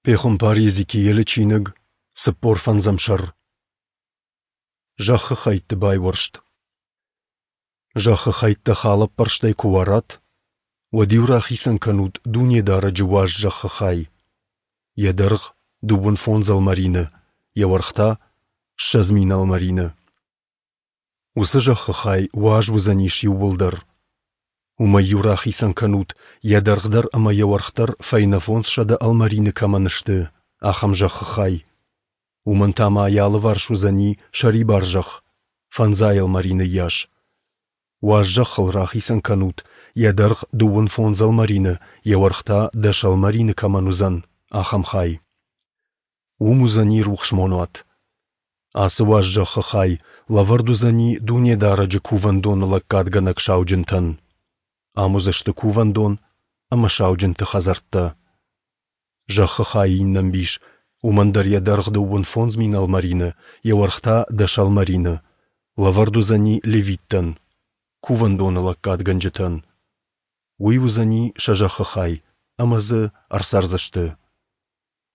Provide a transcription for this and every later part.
Пехуымпар Йезекиелы чиныг, 45-ӕм сӕр. Зӕххы хӕйтты байуӕрст. Зӕххы хӕйттӕ халӕппӕрстӕй куы уарат, уӕд-иу рахицӕн кӕнут Дунедарӕджы уаз зӕххы хай. Йӕ дӕргъ 25 ӕлмӕрины, йӕ уӕрх та 20 000 ӕлмӕрины. Уыцы зӕххы хай уаз уыдзӕнис иууылдӕр. Уымӕй-иу рахицӕн кӕнут, йӕ дӕргъ дӕр ӕмӕ йӕ уӕрх дӕр фӕйнӕ 500 ӕлмӕрины кӕмӕн сты, ахӕм зӕххы хай. Уымӕн та ма йӕ алыварс уыдзӕни сӕрибар зӕхх, фӕндзай ӕлмӕрины йас. Уаз зӕххыл рахицӕн кӕнут, йӕ дӕргъ 25 ӕлмӕрины, йӕ уӕрх та 10 ӕлмӕрины кӕмӕн уыдзӕн, ахӕм хай. Уым уыдзӕни рухс монуат. Ацы уаз зӕххы хай лӕвӕрд уыдзӕни Дунедарӕджы кувӕндоны лӕггадгӕнӕг сауджынтӕн. Ам уыдзысты кувӕндон ӕмӕ сауджынты хӕдзӕрттӕ. Зӕххы хайы иннӕ ӕмбис, уымӕн дӕр йӕ дӕргъ 25 000 ӕлмӕрины, йӕ уӕрх та 10 ӕлмӕрины, лӕвӕрд уыдзӕни левиттӕн, кувӕндоны лӕггадгӕнджытӕн. Уый уыдзӕни сӕ зӕххы хай, ӕмӕ дзы ӕрцӕрдзысты.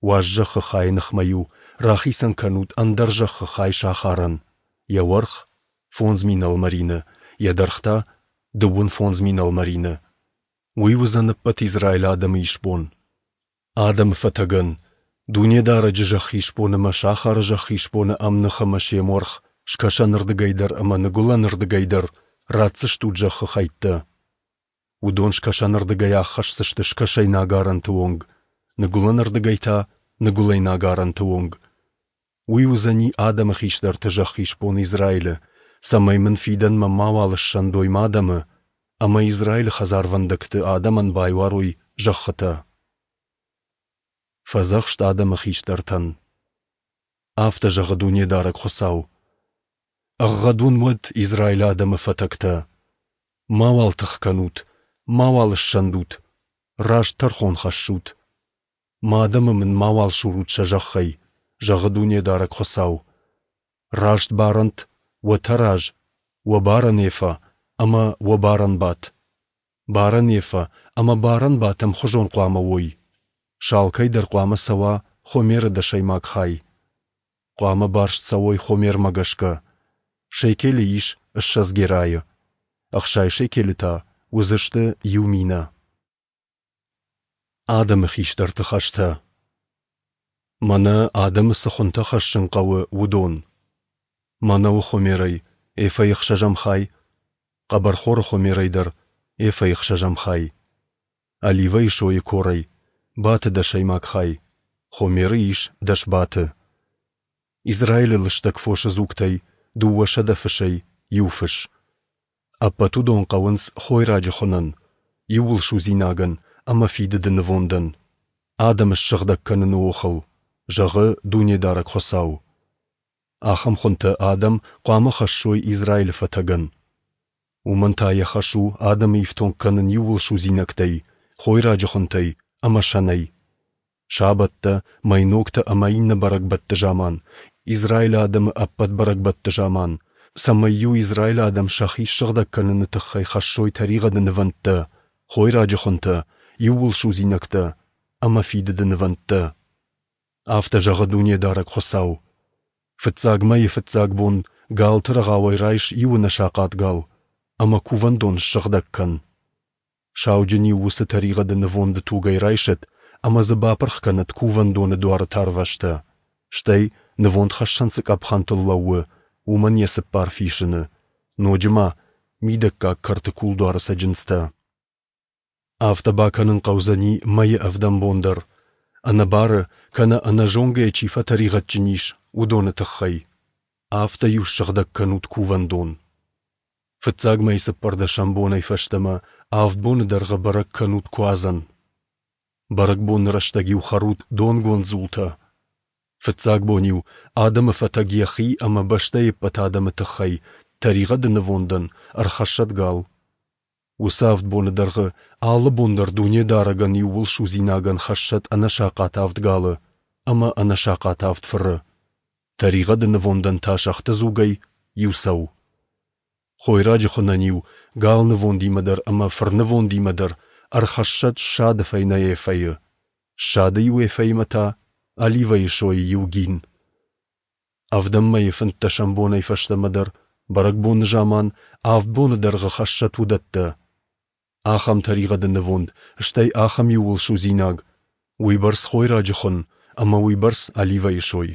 Уаз зӕххы хайы ныхмӕ-иу рахицӕн кӕнут ӕндӕр зӕххы хай сахарӕн, йӕ уӕрх 5000 ӕлмӕрины, йӕ дӕргъ та 25 000 ӕлмӕрины. Уый уыдзӕн ӕппӕт Израилы адӕмы исбон. Адӕмы фӕтӕгӕн, Дунедарӕджы зӕххы исбон ӕмӕ сахары зӕххы исбоны ӕмных ӕмӕ се муӕрх скӕсӕнырдыгӕй дӕр ӕмӕ ныгуылӕнырдыгӕй дӕр ратдзыстут зӕххы хӕйттӕ. Уыдон скӕсӕнырдыгӕй аххӕсдзысты скӕсӕйнаг арӕнты онг, ныгуылӕнырдыгӕй та ныгуылӕйнаг арӕнты онг. Уый уыдзӕни адӕмы хистӕрты зӕххы исбон Израилы, цӕмӕй мын фидӕнмӕ мауал ссӕндой мӕ адӕмы ӕмӕ Израилы хӕдзарвӕндӕгты адӕмӕн байуарой зӕххытӕ. Фӕдзӕхст адӕмы хистӕртӕн. Афтӕ зӕгъы Дунедарӕг Хуыцау: Ӕгъгъӕд уын уӕд Израилы адӕмы фӕтӕгтӕ! Мауал тых кӕнут, мауал ссӕндут, раст тӕрхон хӕссут. Мӕ адӕмы мын мауал сурут сӕ зӕххӕй, зӕгъы Дунедарӕг Хуыцау. Раст барӕнт уӕ тӕраз, уӕ барӕн ефа ӕмӕ уӕ барӕн бат. Барӕн ефа ӕмӕ барӕн бат ӕмхуызон хъуамӕ уой. Сӕ алкӕй дӕр хъуамӕ цӕуа Хомеры дӕсӕймаг хай. Хъуамӕ барст цӕуой Хомермӕ гӕсгӕ. Шекелы ис 20 герайы, 60 шекелы та уыдзысты иу минӕ. Адӕмы хистӕрты хӕстӕ. Мӕнӕ адӕмы цы хуынтӕ хӕссын хъӕуы, уыдон. Мӕнӕуы хомерӕй эфӕйы ӕхсӕзӕм хай, хъӕбӕрхоры хомерӕй дӕр эфӕйы ӕхсӕзӕм хай, оливӕйы сойы корӕй баты дӕсӕймаг хай, хомеры ис 10 баты. Израилы лыстӕг фосы дзугтӕй 200 фысӕй иу фыс. Ӕппӕт уыдон хъӕуынц хойраджы хуынӕн, иууылсудзинагӕн ӕмӕ фидыды нывондӕн, адӕмы ссыгъдӕг кӕныны охыл, зӕгъы Дунедарӕг Хуыцау. Ахӕм хуынтӕ адӕм хъуамӕ хӕссой Израилы фӕтӕгӕн. Уымӕн та йӕ хӕс у адӕмы ифтонг кӕнын иууылсудзинӕгтӕй, хойраджы хуынтӕй ӕмӕ сӕнӕй. Сабӕттӕ, мӕйногтӕ ӕмӕ иннӕ бӕрӕгбӕтты заман, Израилы адӕмы ӕппӕт бӕрӕгбӕтты заман, цӕмӕй-иу Израилы адӕм сӕхи ссыгъдӕг кӕныны тыххӕй хӕссой тӕригъӕды нывӕндтӕ, хойраджы хуынтӕ, иууылсудзинӕгтӕ ӕмӕ фидыды нывӕндтӕ. Афтӕ зӕгъы Дунедарӕг Хуыцау: Фыццаг мӕйы фыццаг бон галты рӕгъауӕй райс иу ӕнӕсахъат гал ӕмӕ кувӕндон ссыгъдӕг кӕн. Сауджын-иу уыцы тӕригъӕды нывонды тугӕй райсӕд ӕмӕ дзы бапырх кӕнӕд кувӕндоны дуары тарвӕзтӕ, стӕй, нывондхӕссӕн цы къӕпхӕнтыл лӕууы, уымӕн йӕ цыппар фисыны, ноджы ма мидӕггаг кӕрты кулдуары цӕджындзтӕ. Афтӕ бакӕнын хъӕудзӕни мӕйы ӕвдӕм бон дӕр, ӕнӕбары кӕнӕ ӕнӕзонгӕйӕ чи фӕтӕригъӕдджын ис, уыдоны тыххӕй. Афтӕ-иу ссыгъдӕг кӕнут кувӕндон. Фыццаг мӕйы цыппӕрдӕсӕм бонӕй фӕстӕмӕ авд боны дӕргъы бӕрӕг кӕнут Куадзӕн. Бӕрӕгбоны рӕстӕг-иу хӕрут донгонд дзултӕ. Фыццаг бон-иу адӕмы фӕтӕг йӕхи ӕмӕ бӕстӕйы ӕппӕт адӕмы тыххӕй тӕригъӕды нывондӕн ӕрхӕссӕд гал. Уыцы авд боны дӕргъы алы бон дӕр Дунедарӕгӕн иууылсудзинагӕн хӕссӕд ӕнӕсахъат авд галы ӕмӕ ӕнӕсахъат авд фыры. Тӕригъӕды нывондӕн та сӕгъты дзугӕй иу цӕу. Хойраджы хуынӕн-иу гал нывондимӕ дӕр ӕмӕ фырнывондимӕ дӕр ӕрхӕссӕд ссады фӕйнӕ эфӕйы, ссады иу эфӕимӕ та оливӕйы сойы иу гин. Ӕвдӕм мӕйы фынддӕсӕм бонӕй фӕстӕмӕ дӕр, бӕрӕгбоны заман, авд боны дӕргъы хӕссӕт уыдӕттӕ. Ахӕм тӕригъӕды нывонд, стӕй ахӕм иууылсудзинаг, уыйбӕрц хойраджы хуын ӕмӕ уыйбӕрц оливӕйы сой.